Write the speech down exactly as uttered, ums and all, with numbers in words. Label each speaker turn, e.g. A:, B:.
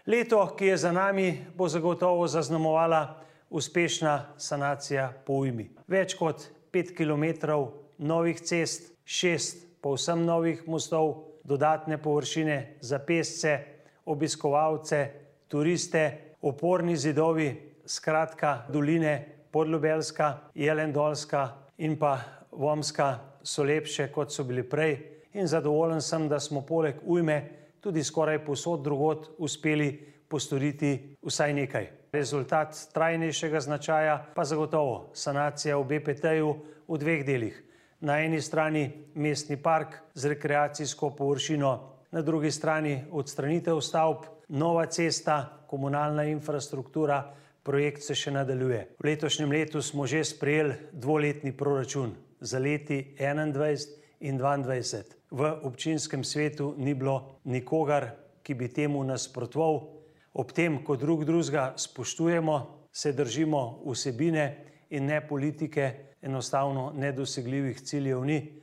A: Leto, ki je za nami, bo zagotovo zaznamovala uspešna sanacija po ujmi. Več kot pet kilometrov novih cest, šest povsem novih mostov, dodatne površine za pešce, obiskovalce, turiste, oporni zidovi, skratka doline Podljubelska, Jelendolska in pa Vomska so lepše, kot so bili prej, in zadovoljen sem, da smo poleg ujme tudi skoraj povsod drugod uspeli postoriti vsaj nekaj. Rezultat trajnejšega značaja pa zagotovo sanacija v B P T-ju v dveh delih. Na eni strani mestni park z rekreacijsko površino, na drugi strani odstranitev stavb, nova cesta, komunalna infrastruktura, projekt se še nadaljuje. V letošnjem letu smo že sprejeli dvoletni proračun za leti enaindvajset in dvaindvajset. V občinskem svetu ni bilo nikogar, ki bi temu nasprotoval. Ob tem, ko drug drugega spoštujemo, se držimo vsebine in ne politike, enostavno nedosegljivih ciljev ni.